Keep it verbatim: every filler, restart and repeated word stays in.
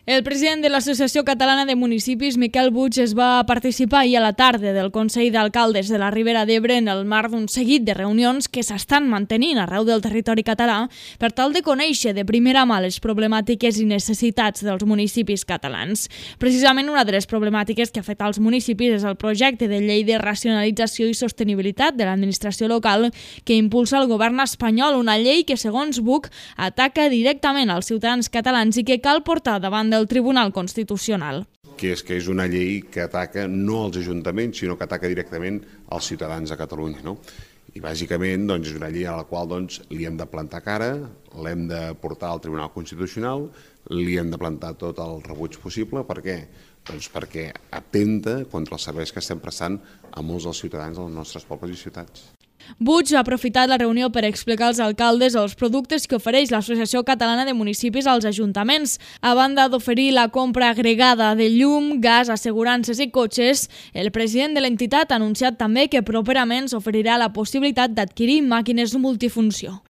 El president de l'Associació Catalana de Municipis, Miquel Puig, es va participar ahir a la tarda del Consell d'Alcaldes de la Ribera d'Ebre en el marc d'un seguit de reunions que s'estan mantenint arreu del territori català per tal de conèixer de primera mà les problemàtiques i necessitats dels municipis catalans. Precisament una de les problemàtiques que afecta als municipis és el projecte de llei de racionalització i sostenibilitat de l'administració local que impulsa el govern espanyol, una llei que, segons Puig, ataca directament als ciutadans catalans i que cal portar davant del Tribunal Constitucional. Que és que és una llei que ataca no als ajuntaments, sinó que ataca directament als ciutadans de Catalunya. No? I bàsicament doncs, és una llei a la qual doncs, li hem de plantar cara, l'hem de portar al Tribunal Constitucional, li hem de plantar tot el rebuig possible. Per què? Doncs perquè atenta contra els serveis que estem prestant a molts dels ciutadans dels nostres pobles i ciutats. Puig ha aprofitat la reunió per explicar als alcaldes els productes que ofereix l'Associació Catalana de Municipis als ajuntaments. A banda d'oferir la compra agregada de llum, gas, assegurances i cotxes, el president de l'entitat ha anunciat també que properament s'oferirà la possibilitat d'adquirir màquines multifunció.